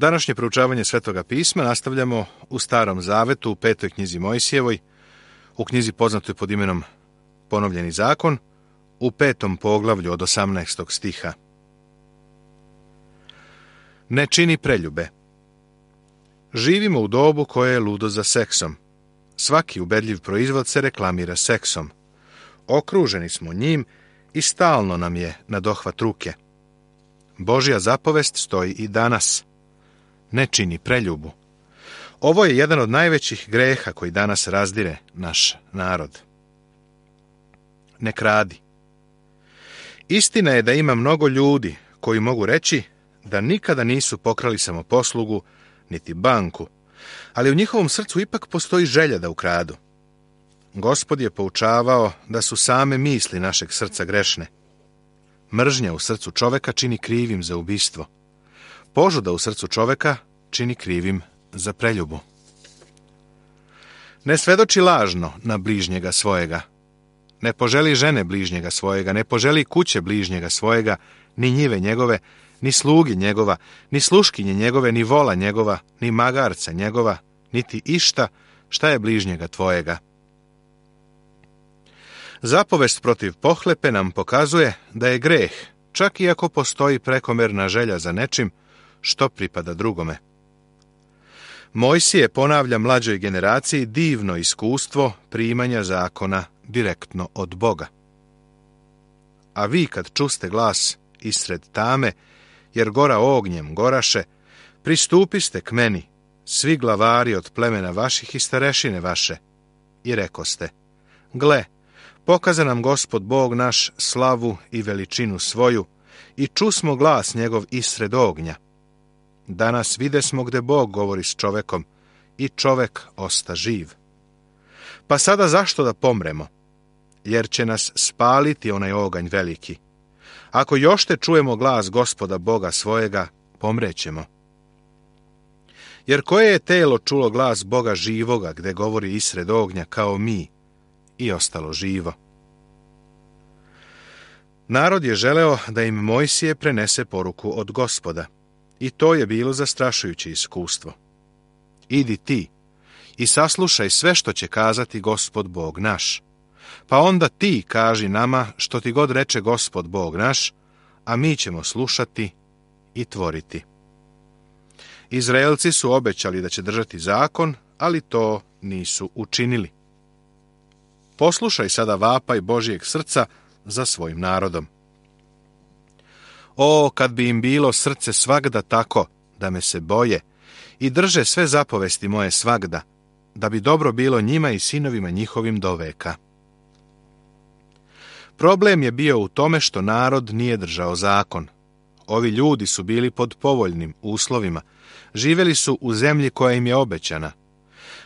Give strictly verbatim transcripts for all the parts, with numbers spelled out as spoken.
Današnje proučavanje Svetoga pisma nastavljamo u Starom zavetu, u petoj knjizi Mojsijevoj, u knjizi poznatoj pod imenom Ponovljeni zakon, u petom poglavlju od osamnaestog stiha. Ne čini preljube. Živimo u dobu koje je ludo za seksom. Svaki ubedljiv proizvod se reklamira seksom. Okruženi smo njim i stalno nam je na dohvat ruke. Božja zapovest stoji i danas. Ne čini preljubu. Ovo je jedan od najvećih greha koji danas razdire naš narod. Ne kradi. Istina je da ima mnogo ljudi koji mogu reći da nikada nisu pokrali samoposlugu niti banku, ali u njihovom srcu ipak postoji želja da ukradu. Gospod je poučavao da su same misli našeg srca grešne. Mržnja u srcu čoveka čini krivim za ubistvo. Požuda u srcu čoveka čini krivim za preljubu. Ne svedoči lažno na bližnjega svojega. Ne poželi žene bližnjega svojega, ne poželi kuće bližnjega svojega, ni njive njegove, ni slugi njegova, ni sluškinje njegove, ni vola njegova, ni magarca njegova, niti išta šta je bližnjega tvojega. Zapovest protiv pohlepe nam pokazuje da je greh, čak i ako postoji prekomerna želja za nečim što pripada drugome. Mojsije ponavlja mlađoj generaciji divno iskustvo primanja zakona direktno od Boga. A vi kad čuste glas isred tame, jer gora ognjem goraše, pristupiste k meni, svi glavari od plemena vaših i starešine vaše, i rekoste, gle, pokaza nam Gospod Bog naš slavu i veličinu svoju, i čusmo glas njegov isred ognja. Danas videsmo gde Bog govori s čovekom, i čovek osta živ. Pa sada zašto da pomremo? Jer će nas spaliti onaj oganj veliki. Ako još te čujemo glas Gospoda Boga svojega, pomrećemo. Jer koje je telo čulo glas Boga živoga, gde govori isred ognja kao mi, i ostalo živo? Narod je želeo da im Mojsije prenese poruku od Gospoda, i to je bilo zastrašujuće iskustvo. Idi ti i saslušaj sve što će kazati Gospod Bog naš. Pa onda ti kaži nama što ti god reče Gospod Bog naš, a mi ćemo slušati i tvoriti. Izraelci su obećali da će držati zakon, ali to nisu učinili. Poslušaj sada vapaj Božijeg srca za svojim narodom. O, kad bi im bilo srce svagda tako, da me se boje, i drže sve zapovesti moje svagda, da bi dobro bilo njima i sinovima njihovim do veka. Problem je bio u tome što narod nije držao zakon. Ovi ljudi su bili pod povoljnim uslovima, živjeli su u zemlji koja im je obećana.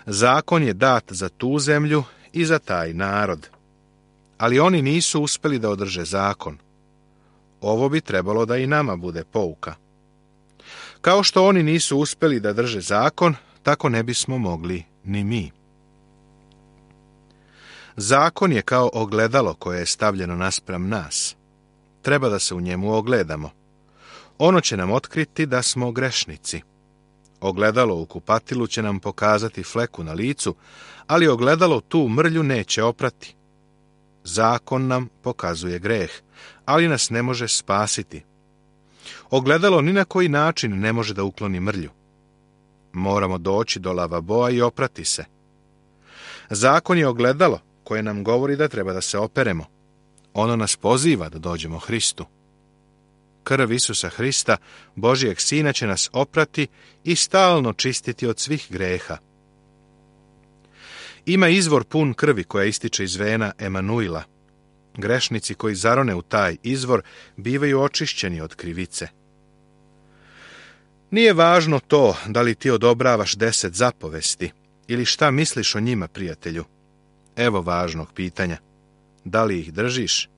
Zakon je dat za tu zemlju i za taj narod. Ali oni nisu uspjeli da održe zakon. Ovo bi trebalo da i nama bude pouka. Kao što oni nisu uspjeli da drže zakon, tako ne bismo mogli ni mi. Zakon je kao ogledalo koje je stavljeno naspram nas. Treba da se u njemu ogledamo. Ono će nam otkriti da smo grešnici. Ogledalo u kupatilu će nam pokazati fleku na licu, ali ogledalo tu mrlju neće oprati. Zakon nam pokazuje greh, ali nas ne može spasiti. Ogledalo ni na koji način ne može da ukloni mrlju. Moramo doći do lavaboa i oprati se. Zakon je ogledalo koje nam govori da treba da se operemo. Ono nas poziva da dođemo Hristu. Krv Isusa Hrista, Božijeg Sina, će nas oprati i stalno čistiti od svih greha. Ima izvor pun krvi koja ističe iz vena Emanuila. Grešnici koji zarone u taj izvor bivaju očišćeni od krivice. Nije važno to da li ti odobravaš deset zapovesti ili šta misliš o njima, prijatelju. Evo važnog pitanja. Da li ih držiš?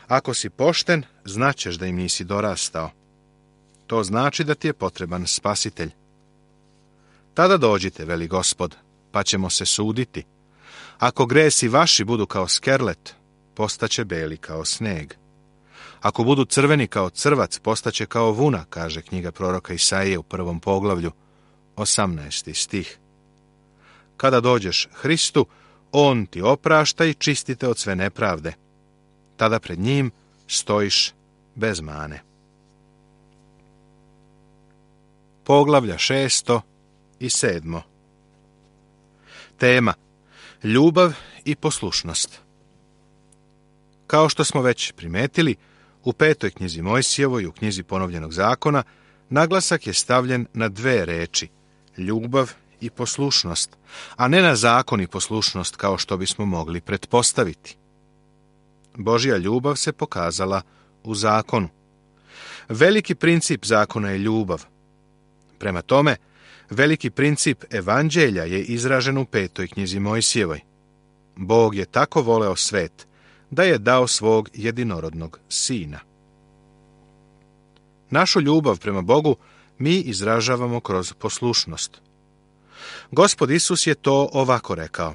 Ako si pošten, znaćeš da im nisi dorastao. To znači da ti je potreban spasitelj. Tada dođite, veli Gospod, pa ćemo se suditi. Ako gresi vaši budu kao skerlet, postaće beli kao sneg. Ako budu crveni kao crvac, postaće kao vuna, kaže knjiga proroka Isaije u prvom poglavlju, osamnaesti stih. Kada dođeš Hristu, on ti oprašta i čistite od sve nepravde. Tada pred njim stojiš bez mane. Poglavlja šesto i sedmo. Tema: ljubav i poslušnost. Kao što smo već primetili, u petoj knjizi Mojsijevoj i u knjizi Ponovljenog zakona naglasak je stavljen na dve reči: ljubav i poslušnost, a ne na zakon i poslušnost kao što bismo mogli pretpostaviti. Božja ljubav se pokazala u zakonu. Veliki princip zakona je ljubav. Prema tome, veliki princip evanđelja je izražen u petoj knjizi Mojsijevoj. Bog je tako voleo svet da je dao svog jedinorodnog sina. Našu ljubav prema Bogu mi izražavamo kroz poslušnost. Gospod Isus je to ovako rekao: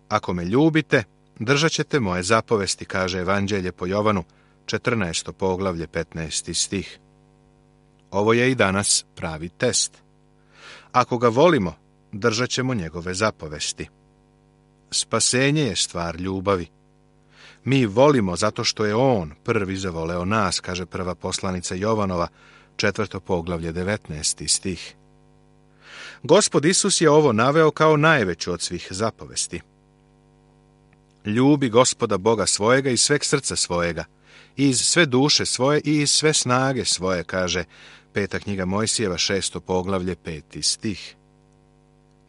ako me ljubite, držat ćete moje zapovesti, kaže Evanđelje po Jovanu, četrnaesto poglavlje, petnaesti stih. Ovo je i danas pravi test. Ako ga volimo, držat ćemo njegove zapovesti. Spasenje je stvar ljubavi. Mi volimo zato što je on prvi zavoleo nas, kaže prva poslanica Jovanova, četvrto poglavlje, devetnaesti stih. Gospod Isus je ovo naveo kao najveću od svih zapovesti. Ljubi Gospoda Boga svojega iz sveg srca svojega, iz sve duše svoje i iz sve snage svoje, kaže peta knjiga Mojsijeva, šesto poglavlje, peti stih.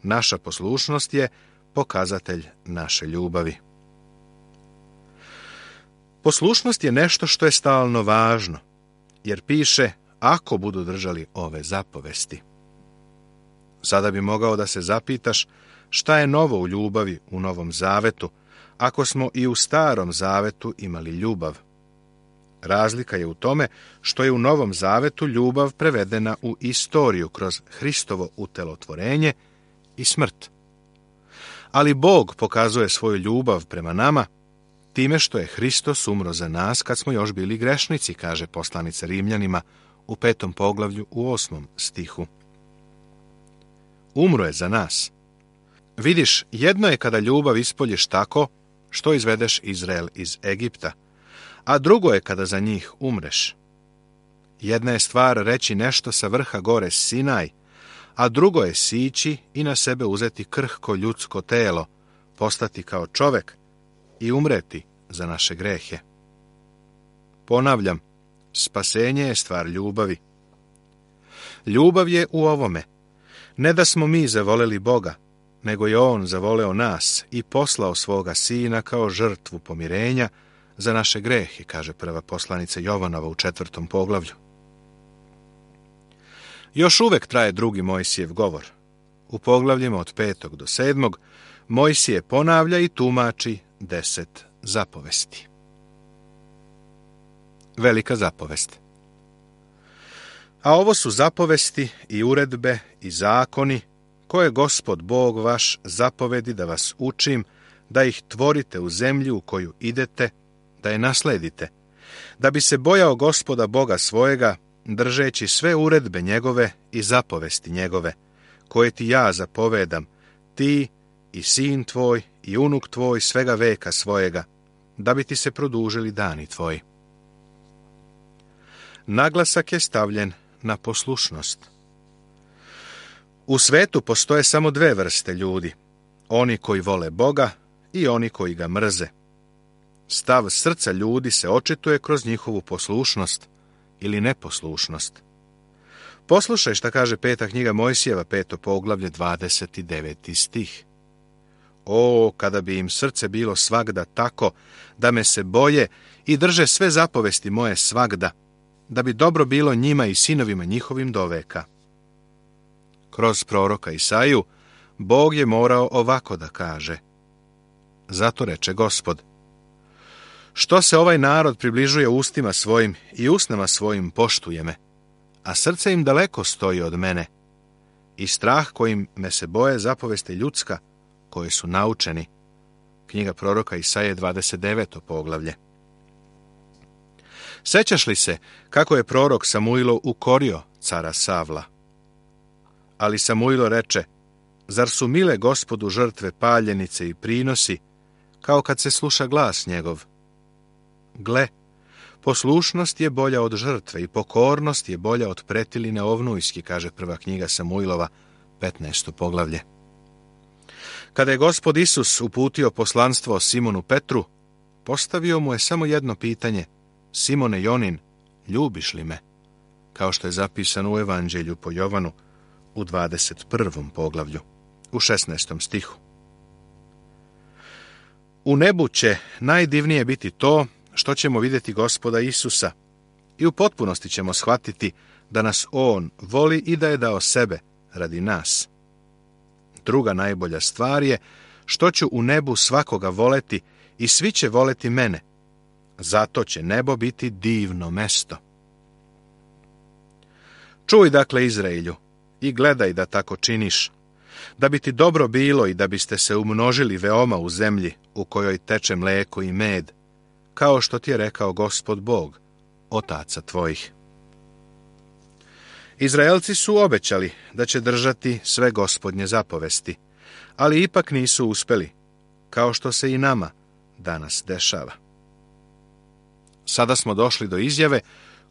Naša poslušnost je pokazatelj naše ljubavi. Poslušnost je nešto što je stalno važno, jer piše: ako budu držali ove zapovesti. Sada bi mogao da se zapitaš šta je novo u ljubavi u Novom Zavetu, ako smo i u Starom Zavetu imali ljubav. Razlika je u tome što je u Novom Zavetu ljubav prevedena u istoriju kroz Hristovo utelotvorenje i smrt. Ali Bog pokazuje svoju ljubav prema nama time što je Hristos umro za nas kad smo još bili grešnici, kaže poslanica Rimljanima u petom poglavlju u osmom stihu. Umro je za nas. Vidiš, jedno je kada ljubav ispoljiš tako što izvedeš Izrael iz Egipta, a drugo je kada za njih umreš. Jedna je stvar reći nešto sa vrha gore Sinaj, a drugo je sići i na sebe uzeti krhko ljudsko telo, postati kao čovek i umreti za naše grehe. Ponavljam, spasenje je stvar ljubavi. Ljubav je u ovome: ne da smo mi zavoleli Boga, nego je on zavoleo nas i poslao svoga sina kao žrtvu pomirenja za naše grehe, kaže prva poslanica Jovanova u četvrtom poglavlju. Još uvek traje drugi Mojsijev govor. U poglavljima od petog do sedmog Mojsije ponavlja i tumači deset zapovesti. Velika zapovest. A ovo su zapovesti i uredbe i zakoni koje Gospod Bog vaš zapovedi da vas učim, da ih tvorite u zemlji u koju idete, da je nasledite, da bi se bojao Gospoda Boga svojega, držeći sve uredbe njegove i zapovesti njegove, koje ti ja zapovedam, ti i sin tvoj i unuk tvoj svega veka svojega, da bi ti se produžili dani tvoji. Naglasak je stavljen na poslušnost. U svetu postoje samo dve vrste ljudi: oni koji vole Boga i oni koji ga mrze. Stav srca ljudi se očituje kroz njihovu poslušnost ili neposlušnost. Poslušaj šta kaže peta knjiga Mojsijeva, peto poglavlje, dvadeset deveti stih. O, kada bi im srce bilo svagda tako da me se boje i drže sve zapovesti moje svagda, da bi dobro bilo njima i sinovima njihovim do veka. Kroz proroka Isaiju Bog je morao ovako da kaže: zato reče Gospod: što se ovaj narod približuje ustima svojim i usnama svojim poštuje me, a srce im daleko stoji od mene, i strah kojim me se boje zapovesti ljudska, koje su naučeni. Knjiga proroka Isaije, dvadeset deveto poglavlje. Sećaš li se kako je prorok Samuilo ukorio cara Savla? Ali Samuilo reče, zar su mile Gospodu žrtve paljenice i prinosi, kao kad se sluša glas njegov? Gle, poslušnost je bolja od žrtve i pokornost je bolja od pretiline ovnujski, kaže prva knjiga Samuilova, petnaesto poglavlje. Kada je Gospod Isus uputio poslanstvo Simonu Petru, postavio mu je samo jedno pitanje: Simone Jonin, ljubiš li me? Kao što je zapisano u Evanđelju po Jovanu u dvadeset prvom poglavlju, u šesnaestom stihu. U nebu će najdivnije biti to što ćemo vidjeti Gospoda Isusa i u potpunosti ćemo shvatiti da nas On voli i da je dao sebe radi nas. Druga najbolja stvar je što ću u nebu svakoga voleti i svi će voleti mene. Zato će nebo biti divno mesto. Čuj dakle, Izraelju, i gledaj da tako činiš, da bi ti dobro bilo i da biste se umnožili veoma u zemlji u kojoj teče mleko i med, kao što ti je rekao Gospod Bog, otaca tvojih. Izraelci su obećali da će držati sve Gospodnje zapovesti, ali ipak nisu uspeli, kao što se i nama danas dešava. Sada smo došli do izjave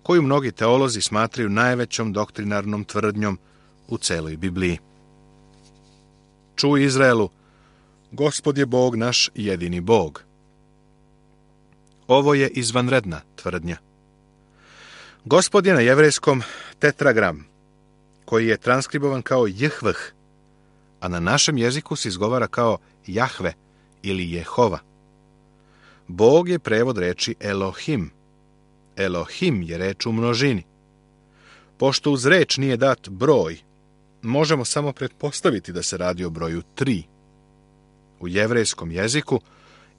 koju mnogi teolozi smatraju najvećom doktrinarnom tvrdnjom u celoj Bibliji. Čuj, Izraelu, Gospod je Bog naš jedini Bog. Ovo je izvanredna tvrdnja. Gospod je na jevrejskom tetragram, koji je transkribovan kao Jehvh, a na našem jeziku se izgovara kao Jahve ili Jehova. Bog je prevod reči Elohim. Elohim je reč u množini. Pošto uz reč nije dat broj, možemo samo pretpostaviti da se radi o broju tri. U jevrejskom jeziku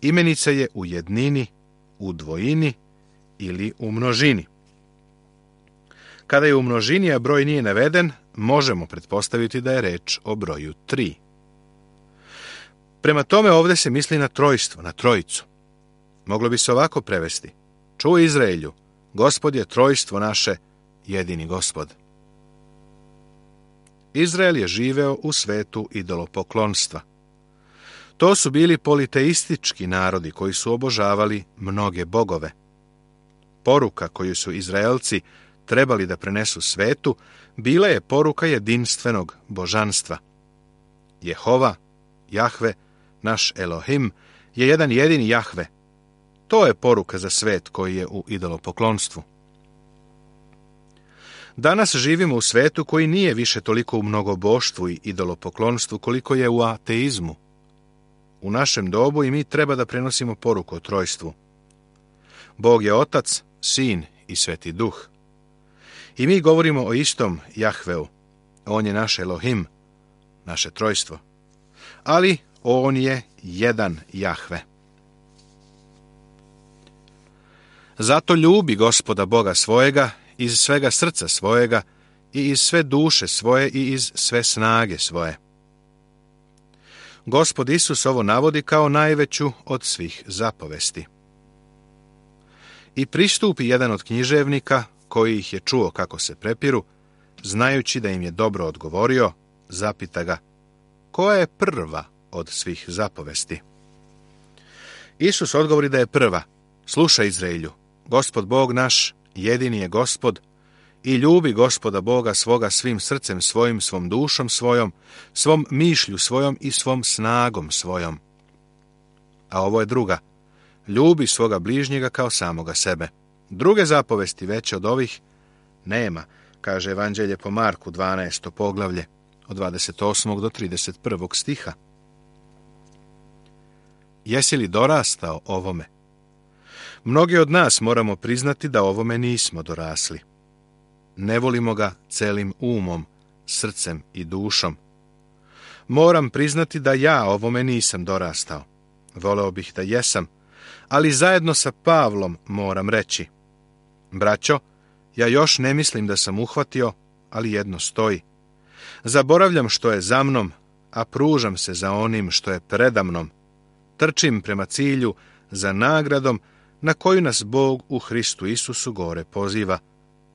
imenica je u jednini, u dvojini ili u množini. Kada je u množini, a broj nije naveden, možemo pretpostaviti da je reč o broju tri. Prema tome ovdje se misli na trojstvo, na trojicu. Moglo bi se ovako prevesti: čuj, Izraelju, Gospod je trojstvo naše, jedini Gospod. Izrael je živeo u svetu idolopoklonstva. To su bili politeistički narodi koji su obožavali mnoge bogove. Poruka koju su Izraelci trebali da prenesu svetu bila je poruka jedinstvenog božanstva. Jehova, Jahve, naš Elohim, je jedan jedini Jahve. To je poruka za svet koji je u idolopoklonstvu. Danas živimo u svetu koji nije više toliko u mnogoboštvu i idolopoklonstvu koliko je u ateizmu. U našem dobu i mi treba da prenosimo poruku o trojstvu. Bog je Otac, Sin i Sveti Duh. I mi govorimo o istom Jahveu. On je naš Elohim, naše trojstvo. Ali on je jedan Jahve. Zato ljubi Gospoda Boga svojega iz svega srca svojega i iz sve duše svoje i iz sve snage svoje. Gospod Isus ovo navodi kao najveću od svih zapovesti. I pristupi jedan od književnika, koji ih je čuo kako se prepiru, znajući da im je dobro odgovorio, zapita ga: koja je prva od svih zapovesti? Isus odgovori da je prva: slušaj, Izraelju, Gospod Bog naš jedini je Gospod i ljubi Gospoda Boga svoga svim srcem svojim, svom dušom svojom, svom mišlju svojom i svom snagom svojom. A ovo je druga: ljubi svoga bližnjega kao samoga sebe. Druge zapovesti veće od ovih nema, kaže Evanđelje po Marku, dvanaesto poglavlje, od dvadeset osmog do trideset prvog stiha. Jesi li dorastao ovome? Mnogi od nas moramo priznati da ovome nismo dorasli. Ne volimo ga celim umom, srcem i dušom. Moram priznati da ja ovome nisam dorastao. Voleo bih da jesam, ali zajedno sa Pavlom moram reći: braćo, ja još ne mislim da sam uhvatio, ali jedno stoji. Zaboravljam što je za mnom, a pružam se za onim što je predamnom. Trčim prema cilju za nagradom na koju nas Bog u Hristu Isusu gore poziva,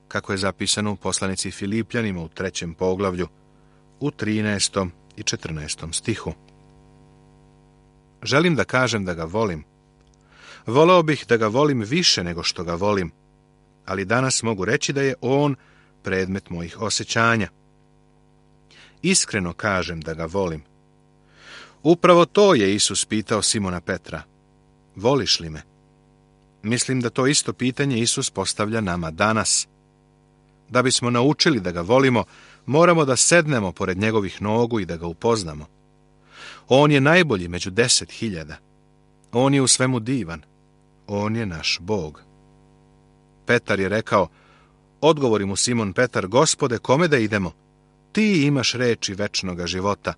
kako je zapisano u poslanici Filipljanima u trećem poglavlju, u trinaestom i četrnaestom stihu. Želim da kažem da ga volim. Voleo bih da ga volim više nego što ga volim, ali danas mogu reći da je on predmet mojih osjećanja. Iskreno kažem da ga volim. Upravo to je Isus pitao Simona Petra. Voliš li me? Mislim da to isto pitanje Isus postavlja nama danas. Da bismo naučili da ga volimo, moramo da sednemo pored njegovih nogu i da ga upoznamo. On je najbolji među deset hiljada. On je u svemu divan. On je naš Bog. Petar je rekao, odgovori mu Simon Petar, Gospode, kome da idemo? Ti imaš reči večnoga života.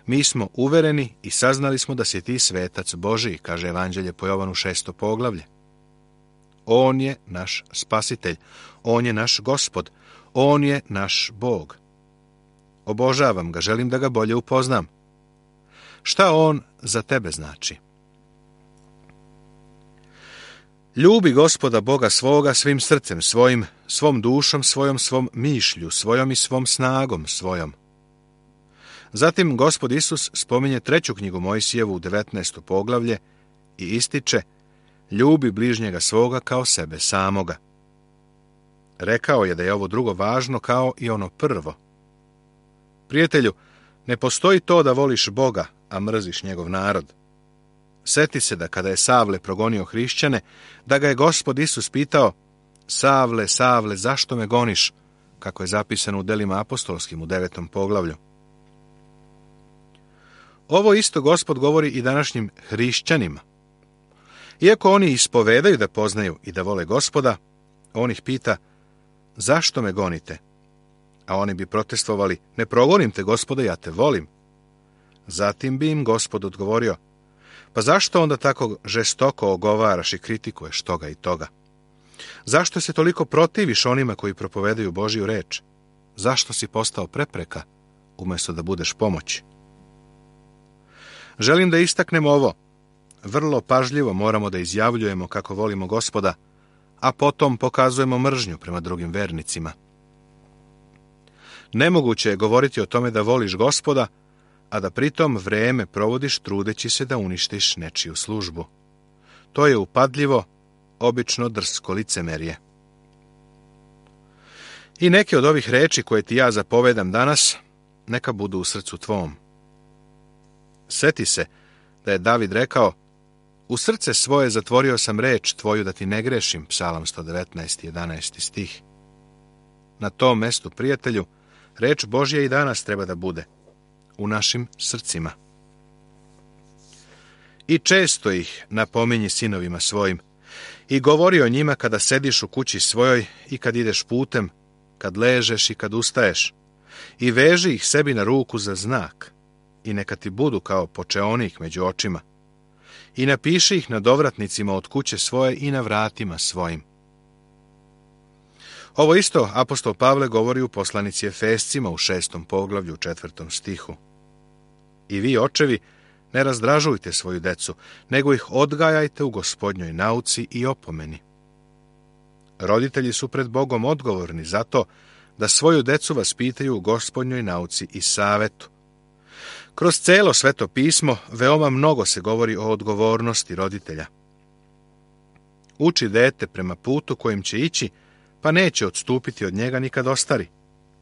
Mi smo uvereni i saznali smo da si ti svetac Božiji, kaže Evanđelje po Jovanu šesto poglavlje. On je naš spasitelj, on je naš Gospod, on je naš Bog. Obožavam ga, želim da ga bolje upoznam. Šta on za tebe znači? Ljubi Gospoda Boga svoga svim srcem svojim, svom dušom svojom, svom mišlju svojom i svom snagom svojom. Zatim Gospod Isus spominje treću knjigu Mojsijevu u devetnaesto poglavlje i ističe, ljubi bližnjega svoga kao sebe samoga. Rekao je da je ovo drugo važno kao i ono prvo. Prijatelju, ne postoji to da voliš Boga, a mrziš njegov narod. Seti se da kada je Savle progonio hrišćane, da ga je Gospod Isus pitao, Savle, Savle, zašto me goniš? Kako je zapisano u delima apostolskim u devetom poglavlju. Ovo isto Gospod govori i današnjim hrišćanima. Iako oni ispovedaju da poznaju i da vole Gospoda, on ih pita, zašto me gonite? A oni bi protestovali, ne progonim te, Gospode, ja te volim. Zatim bi im Gospod odgovorio, pa zašto onda tako žestoko ogovaraš i kritikuješ toga i toga? Zašto se toliko protiviš onima koji propovedaju Božju reč? Zašto si postao prepreka, umjesto da budeš pomoć? Želim da istaknem ovo. Vrlo pažljivo moramo da izjavljujemo kako volimo Gospoda, a potom pokazujemo mržnju prema drugim vernicima. Nemoguće je govoriti o tome da voliš Gospoda, a da pritom vreme provodiš trudeći se da uništiš nečiju službu. To je upadljivo, obično drsko licemerje. I neke od ovih reči koje ti ja zapovedam danas, neka budu u srcu tvom. Seti se da je David rekao, u srce svoje zatvorio sam reč tvoju da ti ne grešim, Psalam sto devetnaest, jedanaesti stih. Na tom mestu, prijatelju, reč Božja i danas treba da bude u našim srcima. I često ih napominji sinovima svojim i govori o njima kada sediš u kući svojoj i kad ideš putem, kad ležeš i kad ustaješ, i veži ih sebi na ruku za znak i neka ti budu kao počeonik među očima, i napiši ih na dovratnicima od kuće svoje i na vratima svojim. Ovo isto apostol Pavle govori u poslanici Efescima u šestom poglavlju u četvrtom stihu. I vi, očevi, ne razdražujte svoju decu, nego ih odgajajte u Gospodnjoj nauci i opomeni. Roditelji su pred Bogom odgovorni za to da svoju decu vaspitaju u Gospodnjoj nauci i savetu. Kroz celo Sveto pismo veoma mnogo se govori o odgovornosti roditelja. Uči dete prema putu kojim će ići, pa neće odstupiti od njega nikad ostari,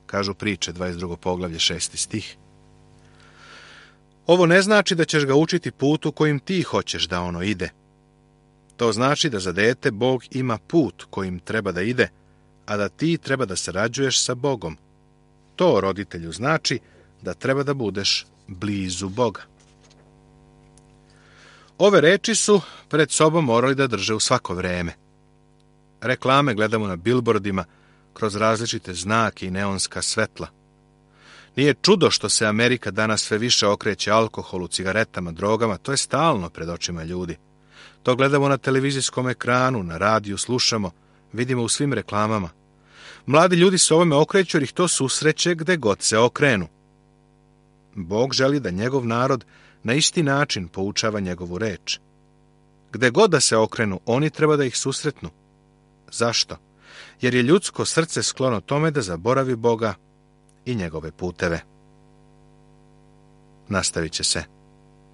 kažu priče dvadeset drugo poglavlje šesti stih. Ovo ne znači da ćeš ga učiti putu kojim ti hoćeš da ono ide. To znači da za dete Bog ima put kojim treba da ide, a da ti treba da sarađuješ sa Bogom. To roditelju znači da treba da budeš blizu Boga. Ove reči su pred sobom morali da drže u svako vreme. Reklame gledamo na bilbordima kroz različite znake i neonska svetla. Nije čudo što se Amerika danas sve više okreće alkoholu, cigaretama, drogama, to je stalno pred očima ljudi. To gledamo na televizijskom ekranu, na radiju slušamo, vidimo u svim reklamama. Mladi ljudi se ovome okreću jer ih to susreće gde god se okrenu. Bog želi da njegov narod na isti način poučava njegovu reč. Gde god da se okrenu, oni treba da ih susretnu. Zašto? Jer je ljudsko srce sklono tome da zaboravi Boga i njegove puteve. Nastavit će se.